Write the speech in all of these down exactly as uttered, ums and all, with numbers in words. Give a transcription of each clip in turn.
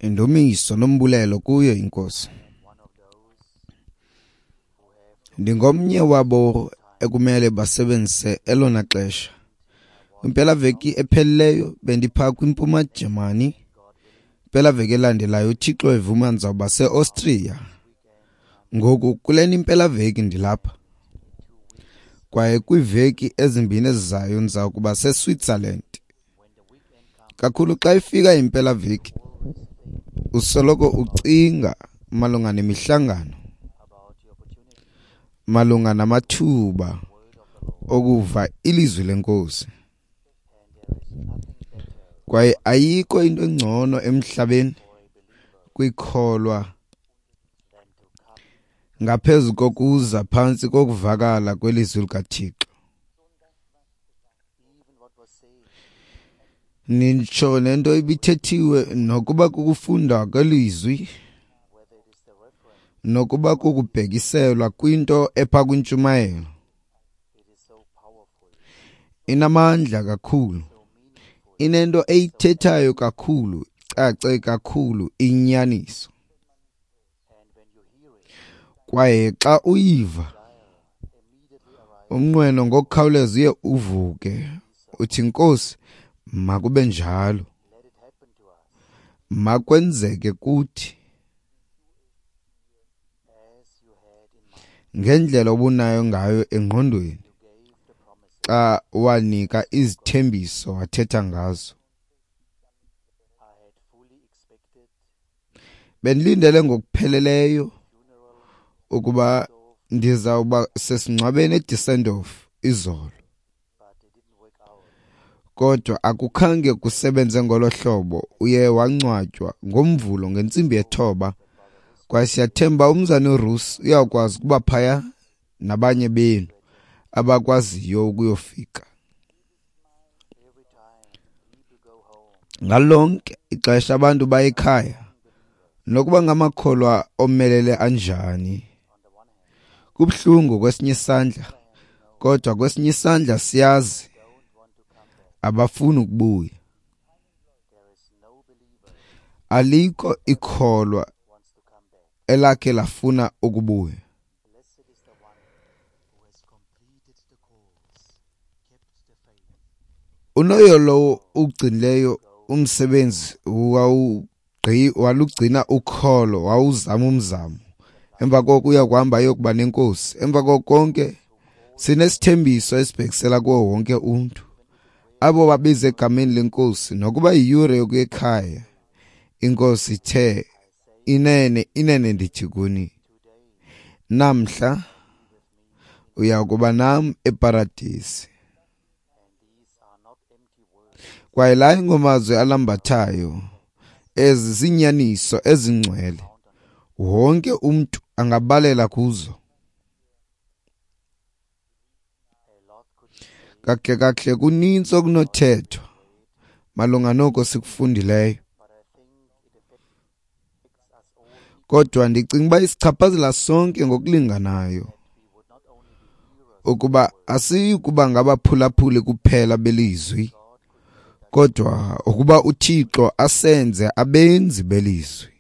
Indumiso nombulelo kuyo iNkosi. Ndingomnye wabo ekumele basebenzise elona xesha. Kwimpelaveki ephelileyo bendipha kwiMpuma Jamani. Impelaveki elandelayo uThixo evuma ndizawuba seAustria. Ngoku kulena impelaveki ndilapha. Kwaye kwiiveki ezimbini ezizayo ndiza kuba seSwitzerland. Kakhulu xa ifika impelaveki usoloko ucinga malunga nemihlangano, malunga namathuba okuva ilizwi leNkosi. Kwaye ayikho into engcono emhlabeni kwikholwa ngaphezu kokuza phantsi kokuvakala kwelizwi likaThixo. Nitsho nento ibithethiwe nokuba kukufunda kwelizwi, nokuba kukubhekiselwa kwinto epha kwintshumayelo. Inamandla kakhulu, inento eyithethayo kakhulu, cace kakhulu inyaniso. Kwaye xa uyiva, umnqweno ngokukhawuleza uye uvuke uthi, Nkosi, makube njalo, makwenzeke kuthi ngendlela obunayo ngayo engqondweni xa wanika izithembiso wathetha ngazo. Bendilindele ngokupheleleyo ukuba ndizawuba sesingcwabeni eDusseldorf izolo, kodwa akukhange kusebenze ngolo hlobo. Uye wangcwatywa ngoMvulo ngentsimbi yethoba, kwaye siyathemba umzane uRusi uyakwazi ukuba phaya nabanye benu abakwaziyo ukuyofika. Ngalonke ixesha abantu baye ekhaya, nokuba ngamakholwa omelele anjani, kubuhlungu kwesinye isandla, kodwa kwesinye isandla siyazi abafuni ukubuya. Alikho ikholwa elakhe lafuna ukubuya. Unoyo lowo ugcinileyo umsebenzi walugcina ukholo, wawuzama umzamo. Emva koko uya kuhamba ayokuba nenkosi. Emva koko konke sinesithembiso esibhekisela kuwo wonke umntu. Abo babiza egameni lenkosi, nokuba yiyure yokuya ekhaya, iNkosi ithe, inene, inene ndithi kuni, namhla uya kuba nam eparadisi. Kwaye la ingomazwi alambathayo, ezi ziinyaniso ezingcwele, wonke umntu angabalela kuzo. Kakuhle kakuhle kunintsi okunothethwa malunga noko sikufundileyo, kodwa ndicinga uba isichaphazela sonke ngokulinganayo, ukuba asiyi kuba ngabaphulaphuli kuphela belizwi, kodwa ukuba uThixo asenze abenzi belizwi.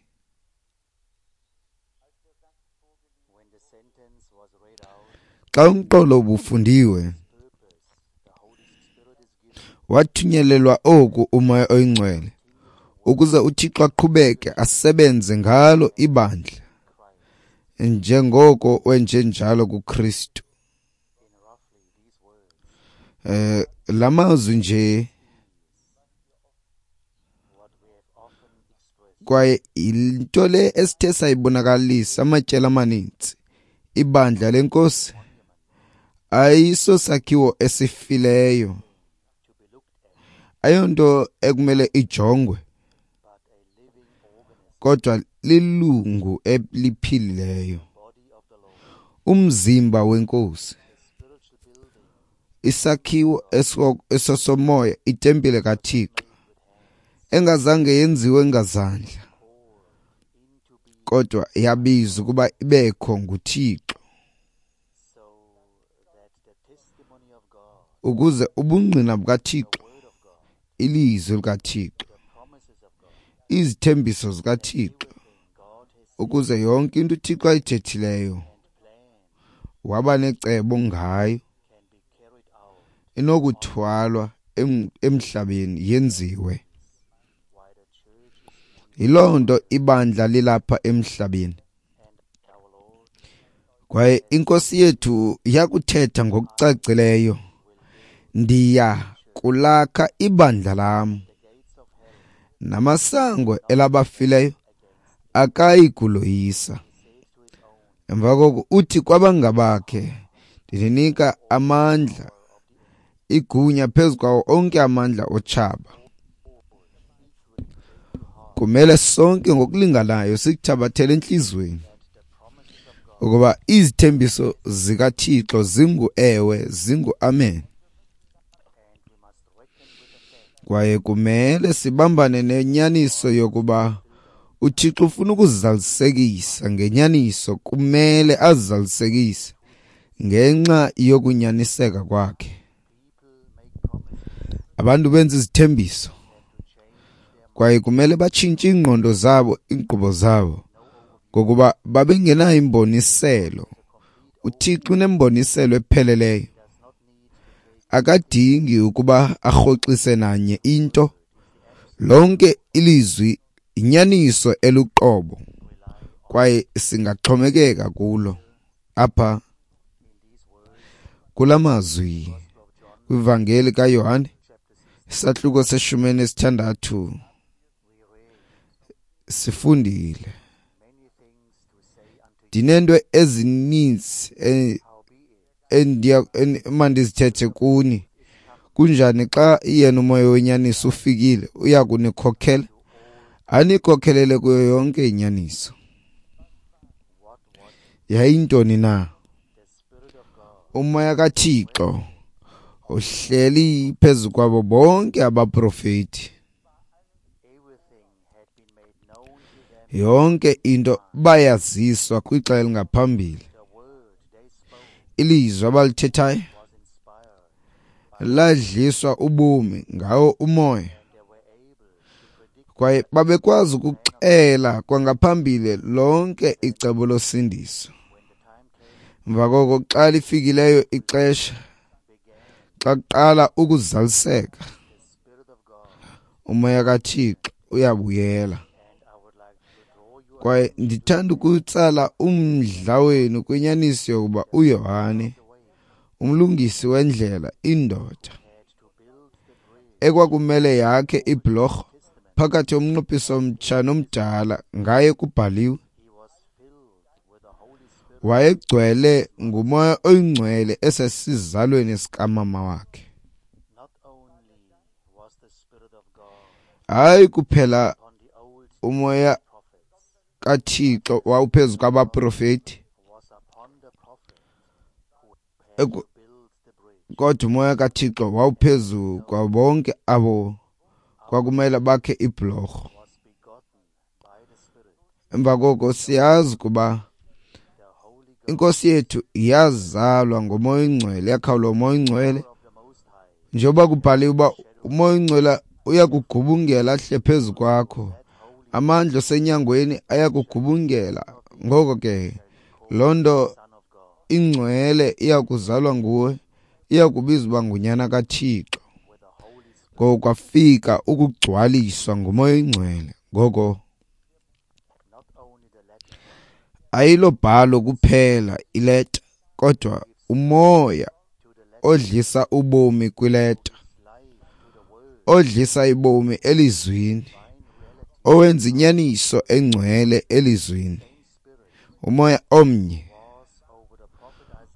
Xa umqolo ubufundiwe, wathunyelelwa oku uMoya oyiNgcwele ukuze uThixo aqhubeke asebenze ngalo ibandla njengoko wenjenjalo kuKristu. Eh lamazwi nje, kwaye into le esithe sayibonakalisa amatyeli amaninzi, ibandla lenkosi ayiso sakhiwo esifileyo, ayonto ekumele ijongwe, kodwa lilungu eliphilileyo, umzimba wenkosi, isakhiwo esosomoya, itempile kaThixo engazange yenziwe ngazandla, kodwa yabizwa ukuba ibekho nguThixo, ukuze ubungqina bukaThixo, ilizwi likaThixo, Izithembiso zikaThixo, ukuze yonke into uThixo ayithethileyo waba necebo ngayo inokuthwalwa emhlabeni yenziwe. Yiloo nto ibandla lilapha emhlabeni. Kwaye iNkosi yethu yakuthetha ngokucacileyo, ndiya kulakha ibandla lam, namasango elabafileyo akayi kuloyisa. Emva koko uthi kwabangabakhe, ndininika amandla, igunya phezu kwawo onke amandla otshaba. Kumele sonke ngokulinganayo sikuthabathele entliziyweni ukuba izithembiso zikaThixo zingu-ewe, zingu-amen. Kwaye kumele sibambane nenyaniso yokuba uThixo ufuna ukuzalisekisa ngenyaniso, kumele azalisekise ngenxa yokunyaniseka kwakhe. Abantu benza izithembiso kwaye kumele batshintshe iingqondo zabo, iinkqubo zabo, ngokuba babengenayo imboniselo. uThixo unemboniselo epheleleyo. Akadingi ukuba arhoxise nanye into. Lonke ilizwi inyaniso eluqobo kwaye singaxhomekeka kulo. Apha kula mazwi kwivangeli kaYohane isahluko seshumi elinesithandathu sifundile, ndinento ezininzi endiya mandizithethe kuni. Kunjani xa yena umoya wenyaniso ufikile, uya kunikhokhela, anikhokhelele kuyo yonke inyaniso. Yayintoni na? Umoya kaThixo uhleli phezu kwabo bonke abaprofeti. Yonke into bayaziswa kwixa elingaphambili. Ilizwi abalithethayo ladliswa ubomi ngawo umoya, kwaye babekwazi ukuxela kwangaphambili lonke icebo losindiso. Emva koko xa lifikileyo ixesha, xa kuqala ukuzaliseka, umoya kaThixo uyabuyela. Kwaye ndithanda ukutsala umdla wenu kwinyaniso yokuba uYohane, umlungisi wendlela, indoda ekwakumele yakhe ibhlorho phakathi komnqophiso omtsha nomdala, ngaye kubhaliwe, wayegcwele ngumoya oyingcwele esesizalweni sikamama wakhe. Hayi kuphela umoya kaThixo wawuphezu kwabaprofeti, kodwa umoya kaThixo wawuphezu kwabo bonke abo kwakumele bakhe ibhlorho. Emva koko siyazi kuba iNkosi yethu yazalwa ngomoya oyingcwele, yakhawulwa umoya oyingcwele, njengoba kubhaliwe uba umoya oyingcwele uyakugubungela ahle phezu kwakho, amandla osenyangweni ayakugubungela. Ngoko ke loo nto ingcwele iyakuzalwa nguwe, iyakubizwa uba ngunyana kaThixo. Ngoko kwafika ukugcwaliswa ngumoya oyingcwele. Ngoko ayilobhalo kuphela ileta, kodwa umoya odlisa ubomi kwileta, odlisa ibomi elizwini, owenza inyaniso engcwele elizwini. Umoya omnye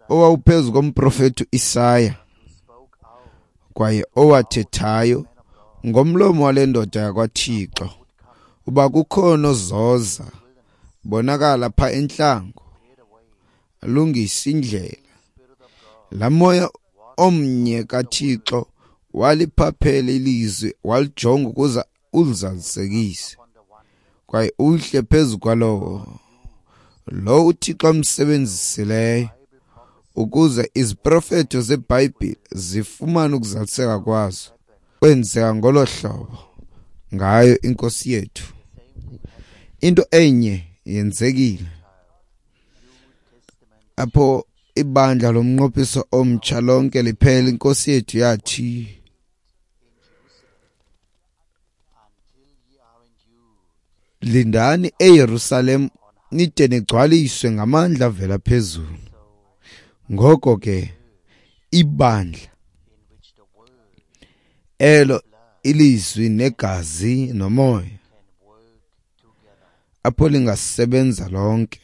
owawuphezu komprofeti uIsaya kwaye owathethayo ngomlomo wale ndoda yakwaThixo uba kukhona ozoza bonakala pha entlango alungisa indlela. Laa moya omnye kaThixo waliphaphela ilizwi, walijonga ukuze ulizalisekise kwaye uhle phezu kwalowo lo uThixo amsebenzisileyo ukuze iziprofeto zeBhayibhile zifumane ukuzaliseka kwazo. Kwenzeka ngolo hlobo ngayo iNkosi yethu. Into enye yenzekile apho ibandla lomnqophiso omtsha lonke liphela. Inkosi yethu yathi, lindani eYerusalem nide nigcwaliswe ngamandla avela phezulu. Ngoko ke ibandla elo ilizwi negazi nomoya apho lingasebenza lonke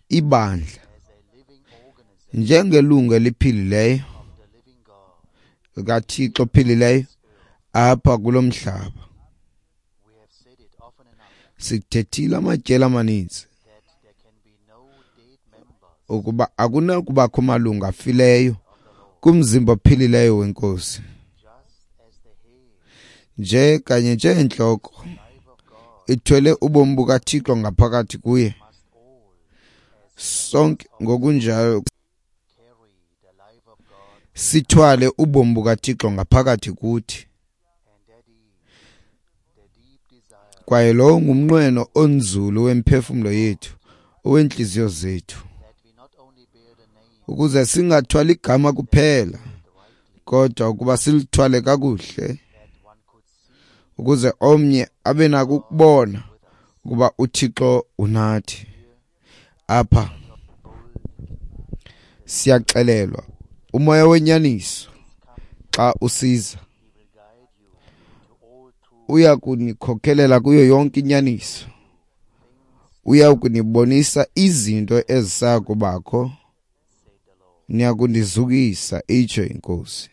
ibandla njengelungu eliphilileyo likaThixo ophilileyo apha kulo mhlaba. Sithethile amatyeli amaninzi ukuba akunakubakho malungu afileyo kumzimba ophilileyo wenkosi. Nje kanye njengentloko ithwele ubomi bukaThixo ngaphakathi kuye, sonke ngokunjalo sithwale ubomi bukaThixo ngaphakathi kuthi. Kwaye lo ngumnqweno onzulu wemphefumlo yethu, owentliziyo zethu, ukuze singathwali igama kuphela, kodwa ukuba silithwale kakuhle, ukuze omnye abe nako ukubona ukuba uThixo unathi. Apha siyaxelelwa umoya wenyaniso xa usiza uya kunikhokelela kuyo yonke inyaniso, uya kunibonisa izinto ezisaya kubakho, niya kundizukisa, itsho iNkosi.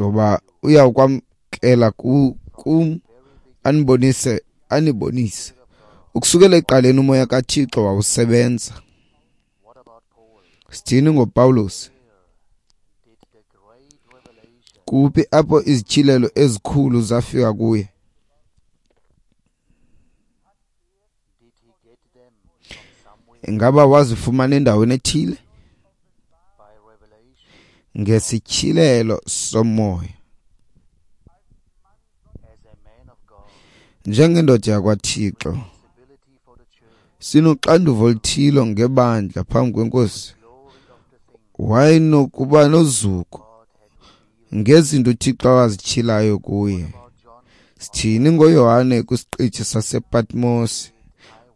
Ngoba uya kwamkela kum anibonise anibonise. Ukusukela ekuqaleni umoya kaThixo wawusebenza. Sithini ngoPawulos? Kuphi apho izityhilelo ezikhulu zafika kuye? Ingaba wazifumana endaweni ethile? Ngesityhilelo somoya. Njengendoda yakwaThixo, sinoxanduva oluthile ngebandla phambi kwenkosi. Wayenokuba nozuko ngezinto uThixo awazityhilayo kuye. Sithini ngoYohane kwisiqithi sasePatmos?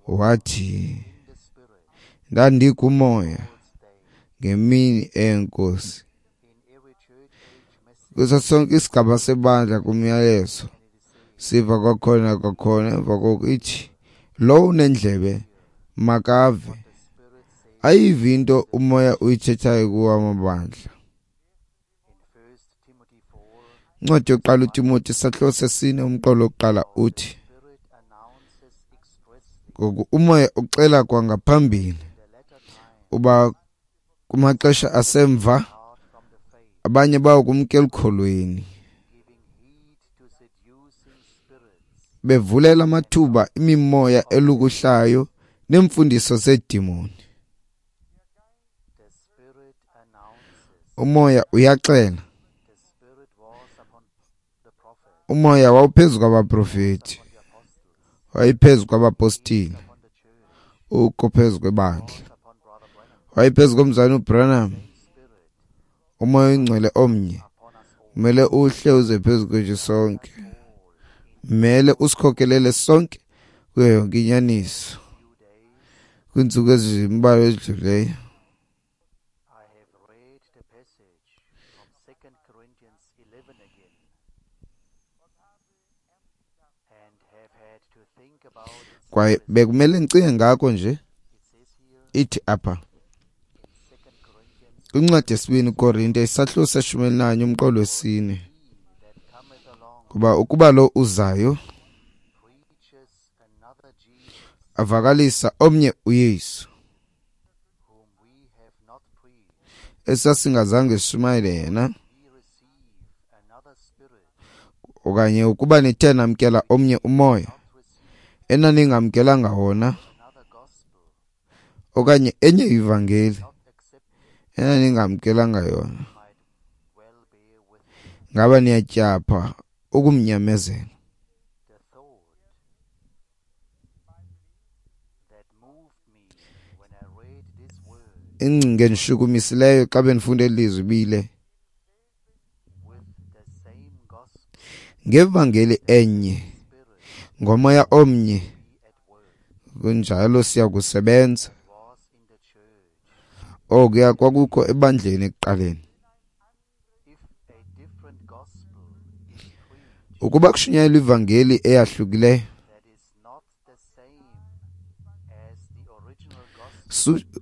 Wathi, ndandikumoya ngemini eyenkosi. Kuso sonke isigaba sebandla kumyalezo siva kwakhona kwakhona emva koko ithi, lowo unendlebe makave, ayive into umoya uyithethayo kuwo amabandla. Incwadi yokuqala uTimoti isahluko sesine umqolo wokuqala uthi, ngoku umoya uxela kwangaphambili uba kumaxesha asemva abanye bawo kumka elukholweni, bevulela amathuba imimoya elukuhlayo neemfundiso zeedimoni. Umoya uyaxela. Umoya wawuphezu kwabaprofeti, wayephezu kwabapostile, ukho phezu kwebandla, wayephezu komzalwane uBranham. Umoya oyingcwele omnye kumele uhle uze phezu kwethu sonke, mele usikhokelele sonke kuyo yonke inyaniso. Kwiintsuku ezimbalwa ezidluleyo kwaye bekumele ndicinge ngako nje. Ithi apha kwincwadi yesibini Korinte isahluko seshumi elinanye umqolo wesine, kuba ukuba lo uzayo avakalisa omnye uYesu esasingazange sishumayele yena, okanye ukuba nithe namkela omnye umoya enaningamkelanga wona, okanye enye ivangeli enaningamkelanga yona, Ngaba niyatyapha ukumnyamezela? Ingcinga endishukumisileyo xa bendifunda eli lizwi bile ngevangeli enye, ngomoya omnye, kunjalo siyakusebenza. Okuya kwakukho ebandleni ekuqaleni. Ukuba kushunyayelwa ivangeli eyahlukileyo,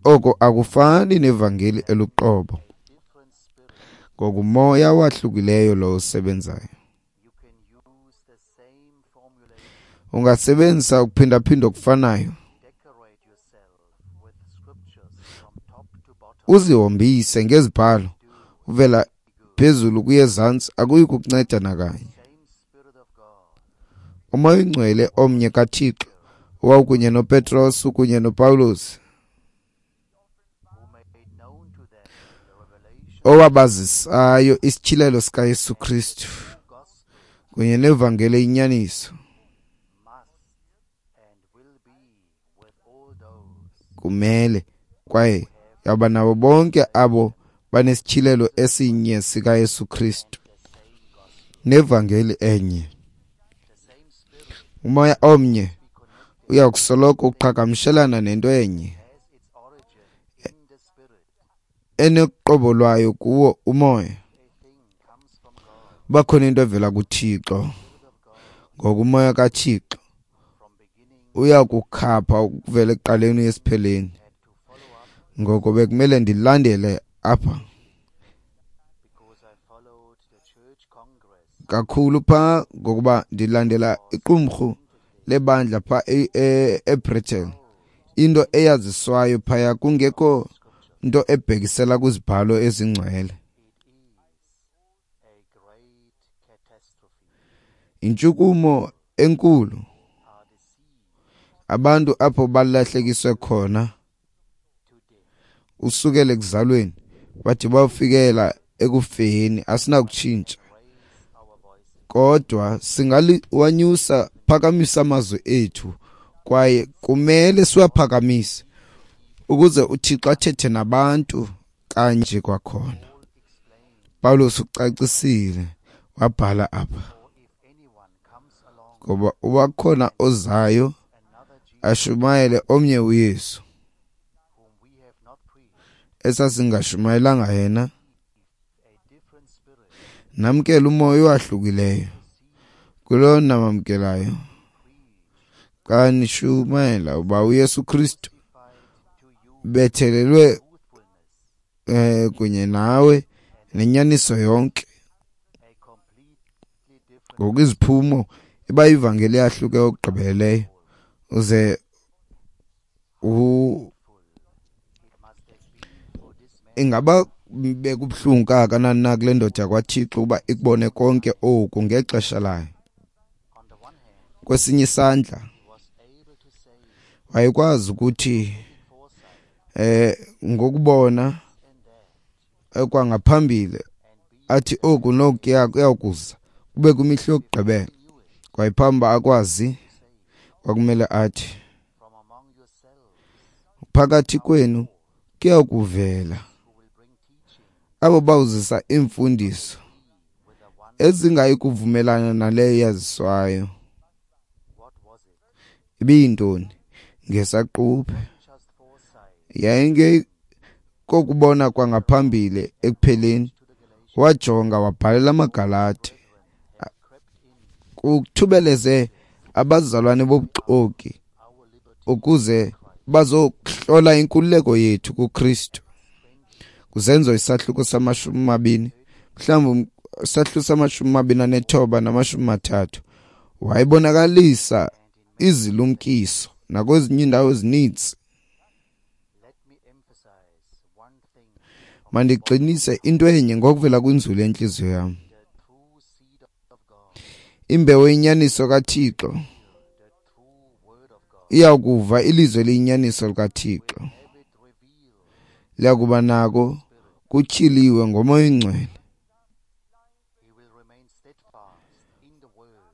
oko akufani nevangeli eluqobo, ngokumoya wahlukileyo lo usebenzayo. Ungasebenzisa ukuphindaphinda okufanayo, uzihombise ngezibhalo uvela phezulu kuye ezantsi, akuyi kukunceda nakanye. Umoya oyingcwele omnye kaThixo owawukunye noPetros ukunye noPawulos, owabazisayo isityhilelo sikaYesu Kristu kunye nevangeli eyinyaniso, kumele kwaye yaba nabo bonke abo banesityhilelo esinye sikaYesu Kristu nevangeli enye. Umoya omnye uyakusoloko uqhagamshelana nento enye enoqobo lwayo kuwo umoya. Bakhona into evela kuThixo, ngokumoya kaThixo uyakukhapha ukuvela ekuqaleni esipheleni. Ngoko bekumele ndilandele apha kakhulu pha, ngokuba ndilandela iqumrhu lebandla pha eBritain, into eyaziswayo phaya kungekho nto ebhekisela kwizibhalo ezingcwele. Intshukumo enkulu abantu apho balahlekiswe khona usukela ekuzalweni bathi bafikela ekufeni, asinakutshintsha, kodwa singaliwanyusa phakamisa amazwi ethu, kwaye kumele siwaphakamise ukuze uThixo athethe nabantu kanje kwakhona. Paulus ucacisile wabhala apha, ngoba ubakhona ozayo ashumayele omnye uYesu esasingashumayelanga yena, namkela umoya owahlukileyo kulo namamkelayo xa nishumayela uba uYesu Kristu bethelelwe eh kunye nawe nenyaniso yonke. Ngokwiziphumo iba ivangeli yahluke okugqibeleleyo, uze u ingaba bekubuhlungu kangakanani na kule ndoda kwaThixo uba ikubone konke oku ngexesha layo. Kwesinye isandla wayekwazi ukuthi eh ngokubona ekwangaphambili athi oku nokuya kuyakuza kube kwimihla yokugqibela, kwaye phambi akwazi kwakumele athi phakathi kwenu kuyakuvela abo bawuzisa iimfundiso ezingayi kuvumelana naleyo yaziswayo. Ibiyintoni? Ngesaquphe yayinge kokubona kwangaphambili ekupheleni. Wajonga wabhalela amaGalati kuthubeleze abazalwane bobuxoki ukuze bazokuhlola inkululeko yethu kuKristu. Kuzenzo isahluko samashumi mabini, mhlawumbi isahluko samashumi mabini anethoba namashumi mathathu, wayibonakalisa izilumkiso nakwezinye iindawo ezininzi. Mandigxinise into enye ngokuvela kwinzulu yentliziyo yam. Imbewu yenyaniso kaThixo iyakuva ilizwi eliyinyaniso likaThixo, liyakuba nako kutyhiliwe ngoMoya oyiNgcwele.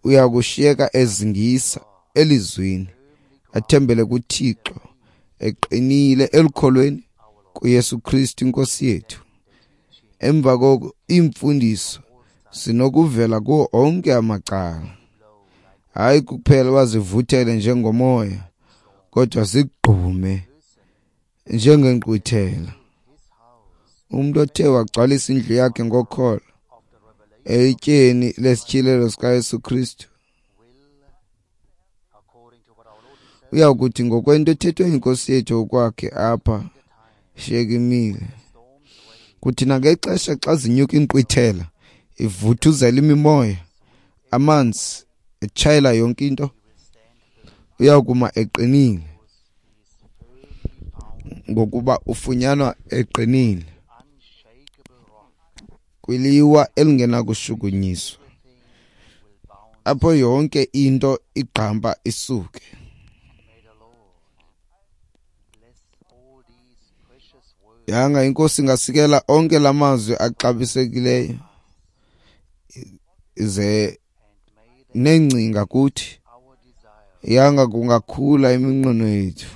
Uya kushiyeka ezingisa elizwini, athembele kuThixo, eqinile elukholweni kuYesu Kristu iNkosi yethu. Emva koko iimfundiso zinokuvela kuwo onke amacala, hayi kuphela bazivuthele njengomoya, kodwa zigqume njengenkqwithela. Umntu othe wagcwalisa indlu yakhe ngokholo elityeni lesityhilelo sikaYesu Kristu uya kuthi ngokwento ethethwe yiNkosi yethu okwakhe apha shiyekimile, kuthi nangexesha xa zinyuka inkqwithela ivuthuzela imimoya, amanzi etshayela yonke into, uya kuma eqinile, ngokuba ufunyanwa eqinile kwiliwa elingenakushukunyiswa, apho yonke into igqampa isuke. Yanga iNkosi ingasikela onke la mazwi axabisekileyo ze neengcinga kuthi. Yanga kungakhula iminqweno yethu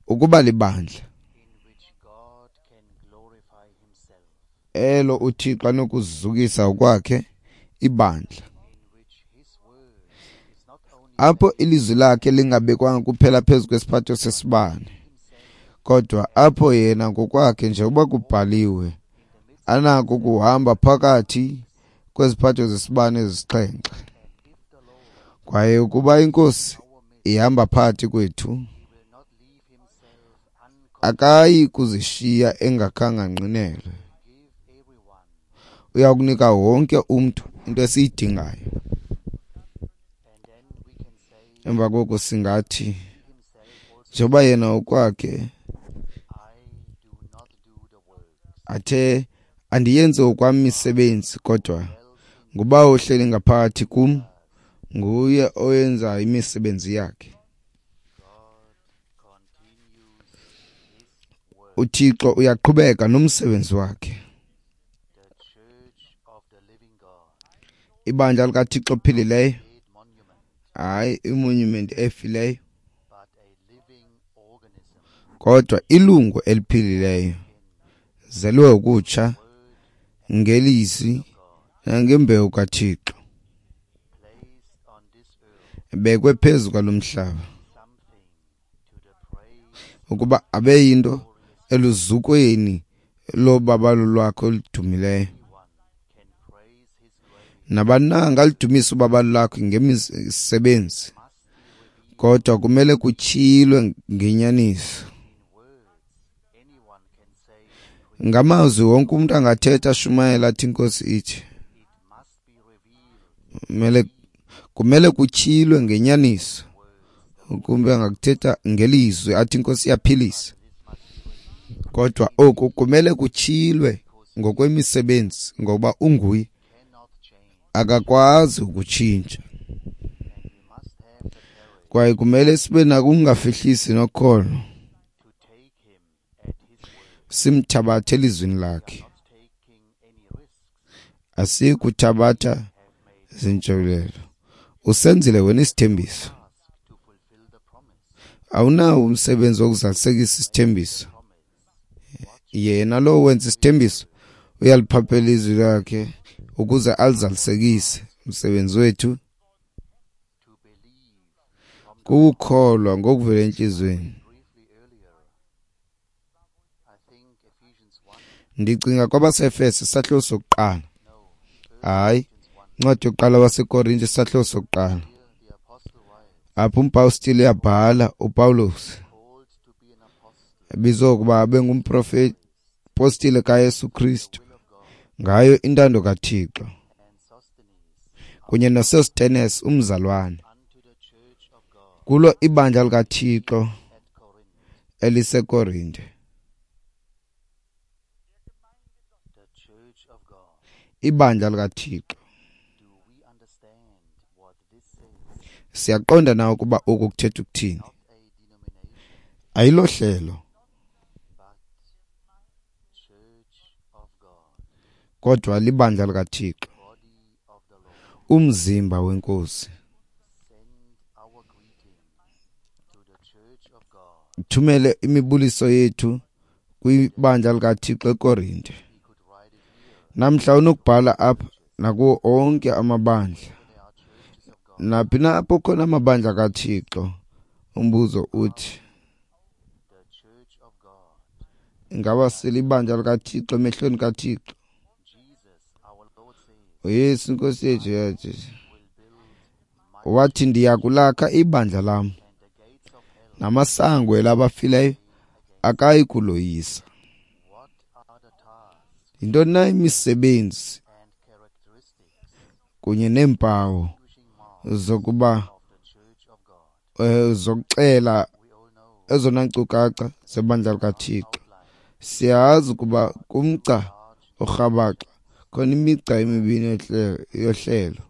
ukuba libandla elo uThixo anokuzukisa kwakhe ibandla, apho ilizwi lakhe lingabekwanga kuphela phezu kwesiphatho sesibane, kodwa apho yena ngokwakhe njengoba kubhaliwe anako ukuhamba phakathi kweziphatho zesibane ezisixhenxe. Kwaye ukuba iNkosi ihamba phakathi kwethu, akayi kuzishiya engakhange anqinelwe. Uya kunika wonke umntu into esiyidingayo. Emva koko singathi, njengoba yena okwakhe athe, andiyenzi okwam imisebenzi, kodwa nguBawo ohleli ngaphakathi kum, nguye oyenza imisebenzi yakhe. uThixo uyaqhubeka nomsebenzi wakhe. Ibandla likaThixo ophilileyo, hayi imonument efileyo, kodwa ilungu eliphilileyo, zelwe ukutsha ngelizwi nangembewu kaThixo, ebekwe phezu kwalo mhlaba ukuba abe yinto eluzukweni lobabalo lwakhe oludumileyo. Nabani na angaludumisa ubabalo lwakhe ngemisebenzi, kodwa kumele kutyhilwe ngenyaniso. Ngamazwi wonke umuntu angathetha ashumayela athi iNkosi ithi. Kumele kumele kutyhilwe ngenyaniso. Kumbe angakuthetha ngelizwi athi iNkosi iyaphilisa, kodwa oku kumele kutyhilwe ngokwemisebenzi, ngoba unguye akakwazi ukutshintsha. Kwaye kumele sibe nako ukungafihlisi nokholo, simthabathe elizwini lakhe. Asikuthabatha zintshulelo. Usenzile wena isithembiso, awunawo umsebenzi wokuzalisekisa isithembiso. Yena lo wenza isithembiso uyaliphaphela izwi lakhe ukuze alizalisekise. Umsebenzi wethu kukukholwa ngokuvela entliziyweni. Ndicinga kwabaseEfese isahluko sokuqala, hayi, incwadi yokuqala waseKorinte isahluko sokuqala, apho umpostile uyabhala uPawulos ebizwa ukuba abe ngumprofeti postile kaYesu Kristu ngayo intando kaThixo, kunye noSostenes umzalwane, kulo ibandla likaThixo eliseKorinte. Ibandla likaThixo. Siyaqonda na ukuba oku kuthetha ukuthini? Ayilohlelo, kodwa libandla likaThixo, umzimba weNkosi. Thumele imibuliso yethu kwibandla likaThixo eKorinte. Namhla unokubhala apha nakuwo onke amabandla, naphi na apho khona amabandla kaThixo. Umbuzo uthi, ingaba silibandla likaThixo emehlweni kaThixo? UYesu iNkosi yethu yathi, wathi ndiya kulakha ibandla lam, namasango elabafileyo akayi kuloyisa. Yintoni na imisebenzi kunye neempawu zokuba eh, zokuxela ezona nkcukacha zebandla likaThixo? Siyazi ukuba kumgca orhabaxa khona imigca emibini yohlelo.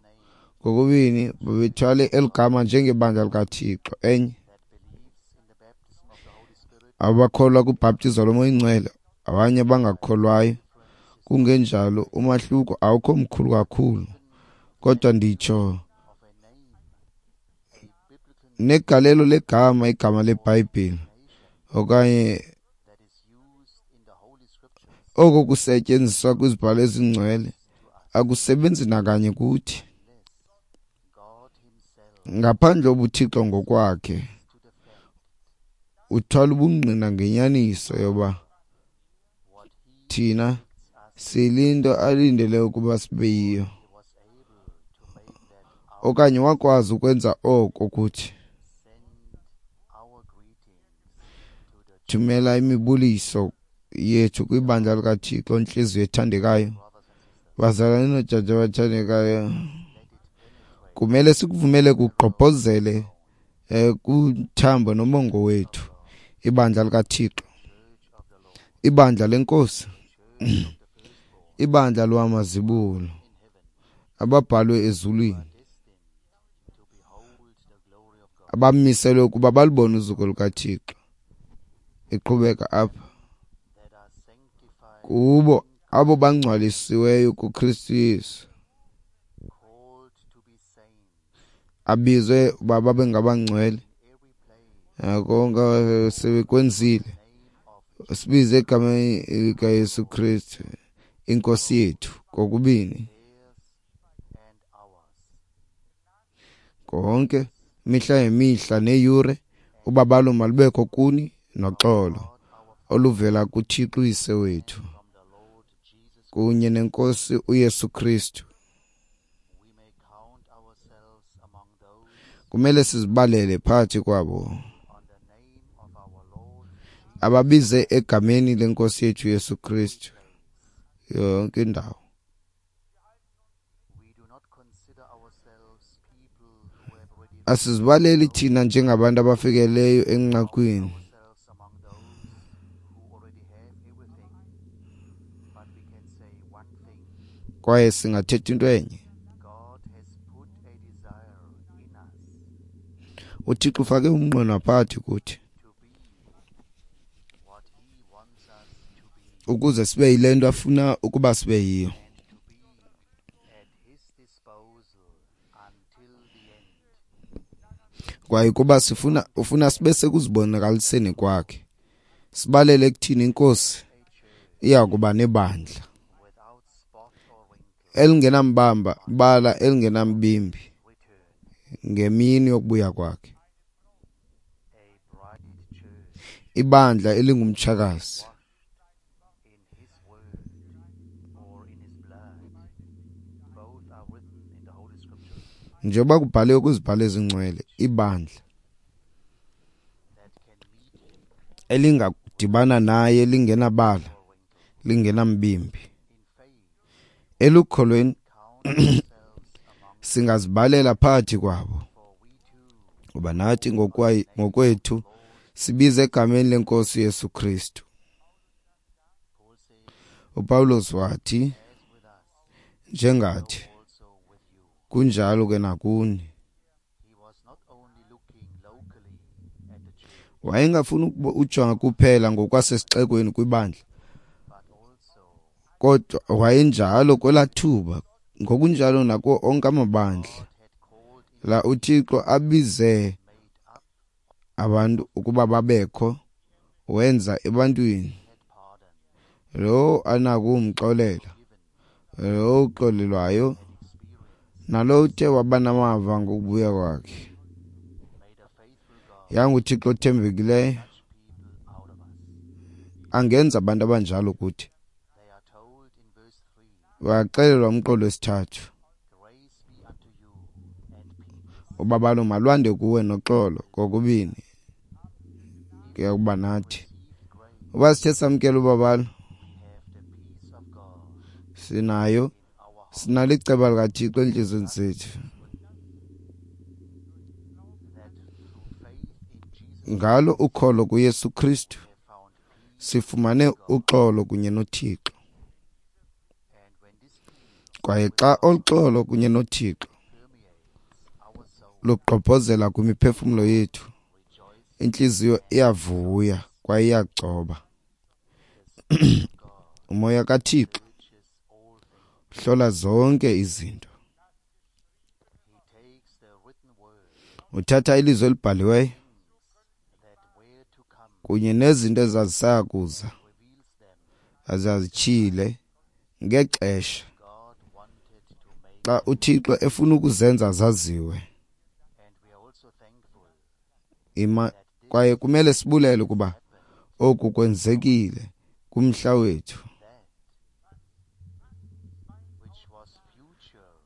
Kokubini babethwale eli gama njengebandla likaThixo. Enye abakholwa kubhaptizo loMoya oyiNgcwele, abanye bangakholwayo. Kungenjalo umahluko awukho mkhulu kakhulu, kodwa nditsho negalelo legama, igama leBhayibhile okanye oko kusetyenziswa kwizibhalo ezingcwele akusebenzi nakanye kuthi, ngaphandle ubuThixo ngokwakhe uthwala ubungqina ngenyaniso yoba thina silinto alindele ukuba sibe yiyo, okanye wakwazi ukwenza oko kuthi. Thumela imibuliso yethu kwibandla likaThixo, ntliziyo ethandekayo, bazalwane noodade abathandekayo. Kumele sikuvumele kugqobhozele eh, kuthambo nomongo wethu ibandla likaThixo, ibandla leNkosi, ibandla lwamazibulo ababhalwe ezulwini, abamiselwe ukuba balubone uzuko lukaThixo. Iqhubeka apha kubo abo bangcwalisiweyo kuKristu Yesu, abizwe uba babe ngabangcwele. Konke sebekwenzile, sibize egameni likaYesu Kristu iNkosi yethu kokubini konke imihla ngemihla neyure. Ubabalo malubekho kuni noxolo oluvela kuThixo uyise wethu kunye neNkosi uYesu Kristu. Kumele sizibalele phakathi kwabo ababize egameni leNkosi yethu Yesu Kristu yonke indawo. Asizibaleli thina njengabantu abafikeleyo enqakwini, kwaye singathetha into enye. UThixo ufake umnqweno phakathi kuthi ukuze sibe yile nto afuna ukuba sibe yiyo, kwaye kuba sifuna ufuna sibe sekuzibonakaliseni kwakhe. Sibalele ekuthini iNkosi iya kuba nebandla elingenambamba bala elingenambimbi ngemini yokubuya kwakhe, ibandla elingumtshakazi njengoba kubhaliwe kwizibhalo ezingcwele, ibandla elingadibana naye lingenabala lingenambimbi. Elukholweni singazibalela phakathi kwabo, ngoba nathi ngokwethu sibize egameni leNkosi Yesu Kristu. uPawulos wathi, njengathi kunjalo ke nakuni. Wayengafuni ujonga kuphela ngokwasesixekweni kwibandla, Kodwa wayenjalo kwelaa thuba, ngokunjalo nakuwo onke amabandla la uThixo abize abantu ukuba babekho, wenza ebantwini. Lowo anako ukumxolela, lowo uxolelwayo, nalowo uthe waba namava ngokubuya kwakhe. YanguThixo othembekileyo angenza abantu abanjalo kuthi. Waxelelwa umqolo wesithathu, ubabalo malwande kuwe noxolo kokubini kuya kuba nathi. Uba sithe samkela ubabalo, sinayo sinalo iceba likaThixo entliziyweni zethu. Ngalo ukholo kuYesu Kristu sifumane uxolo kunye noThixo. Kwaye xa olu xolo kunye noThixo lugqobhozela kwimiphefumlo yethu, intliziyo iyavuya kwaye iyagcoba. Umoya kaThixo hlola zonke izinto. Uthatha ilizwi elibhaliweyo kunye nezinto ezazisaya kuza azazityhile ngexesha xa uThixo efuna ukuzenza zaziwe. Ima kwaye kumele sibulele ukuba oku kwenzekile kumhla wethu.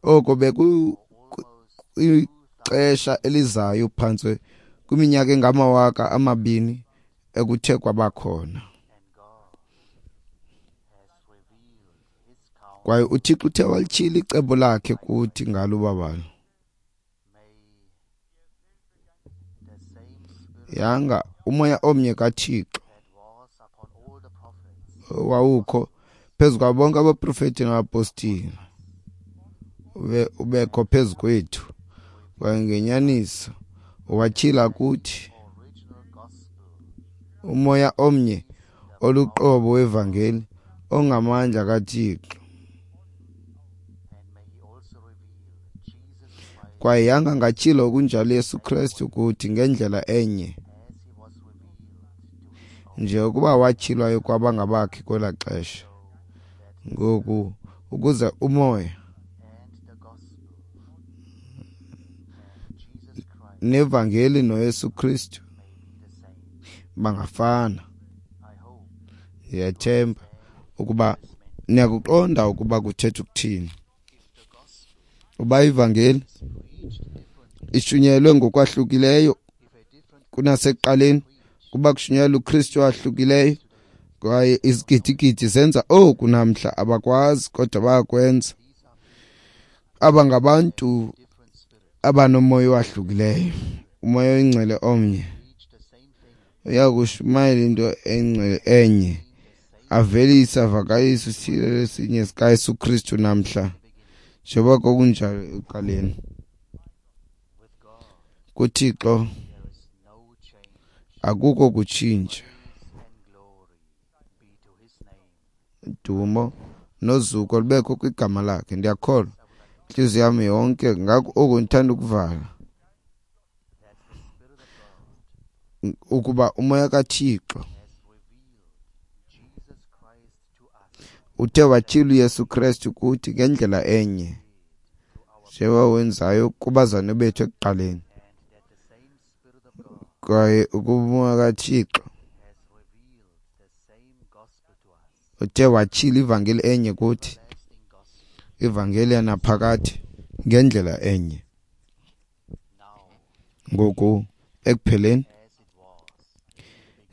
Oko bekukwixesha elizayo phantse kwiminyaka engamawaka amabini ekuthe kwabakhona. Kwaye uThixo uthe walityhila icebo lakhe kuthi ngalo ubabalo. Yanga umoya omnye kaThixo wawukho phezu kwabo bonke abaprofeti nabapostile ube ubekho phezu kwethu, kwaye ngenyaniso watyhila kuthi umoya omnye oluqobo wevangeli ongamandla kaThixo. Kwaye yanga angatyhila okunjalo Yesu Kristu kuthi ngendlela enye nje ukuba watyhilwayo kwabangabakhe kwelaa xesha. Ngoku ukuze umoya nevangeli noYesu Kristu bangafana. Ndiyathemba ukuba niyakuqonda ukuba kuthetha ukuthini. Uba ivangeli ishunyelwe ngokwahlukileyo kunasekuqaleni, kuba kushunyelwa uKristu owahlukileyo, kwaye izigidigidi zenza oku namhla, abakwazi kodwa bayakwenza. Aba ngabantu abanomoya owahlukileyo, umoya oyingcwele omnye uyakushumayela into engcwele enye, avelise avakalise isithilelo esinye sikaYesu Kristu namhla njengoba kwakunjalo ekuqaleni. KuThixo akukho kutshintsha. Dumo nozuko lubekho kwigama lakhe. Ndiyakholwa intliziyo yam yonke ngako oku ndithanda ukuvala ukuba umoya kaThixo uthe watyhila uYesu Kristu kuthi ngendlela enye njengoba wenzayo kubazalwane bethu ekuqaleni. Kwaye ukuba umoya kaThixo uthe watyhila ivangeli enye kuthi, ivangeli yanaphakade ngendlela enye. Ngoku ekupheleni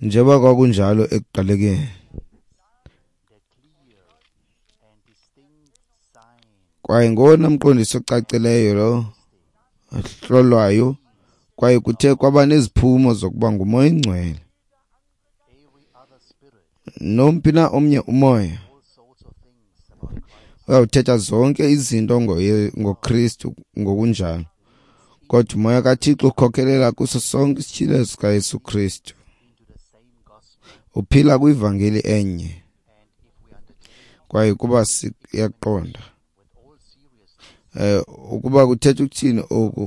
njengoba kwakunjalo ekuqalekeni, kwaye ngowona mqondiso ocacileyo lo ahlolwayo, kwaye kuthe kwaba neziphumo zokuba ngumoya oyingcwele. Nomphi na omnye umoya uyawuthetha zonke izinto ngoKristu ngokunjalo, kodwa umoya kaThixo ukhokelela kuso sonke isityhilelo sikaYesu Kristu. Uphila kwivangeli enye. Kwaye kuba siyaqonda eh ukuba kuthetha ukuthini oku,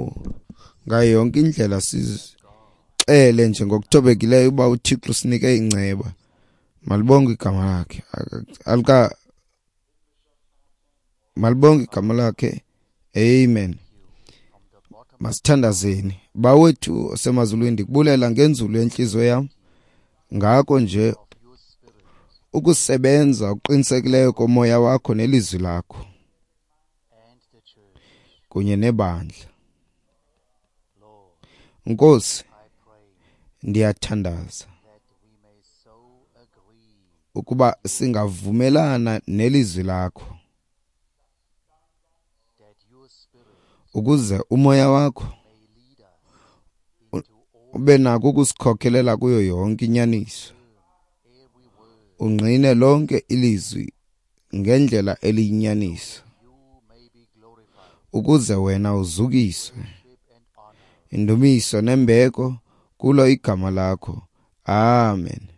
ngayo yonke indlela sizixele nje ngokuthobekileyo uba uThixo usinike inceba. Malibonge igama lakhe. Alika Malibonge igama lakhe. Amen. Masithandazeni. Bawethu osemazulwini, ndikubulela ngenzulu yenhliziyo yam ngako nje ukusebenza okuqinisekileyo komoya wakho nelizwi lakho kunye nebandla. Nkosi, ndiyathandaza ukuba singavumelana nelizwi lakho, ukuze umoya wakho ube nako ukusikhokelela kuyo yonke inyaniso, ungqine lonke ilizwi ngendlela eliyinyaniso, ukuze wena uzukiswe. Indumiso nembeko kulo igama lakho. Amen.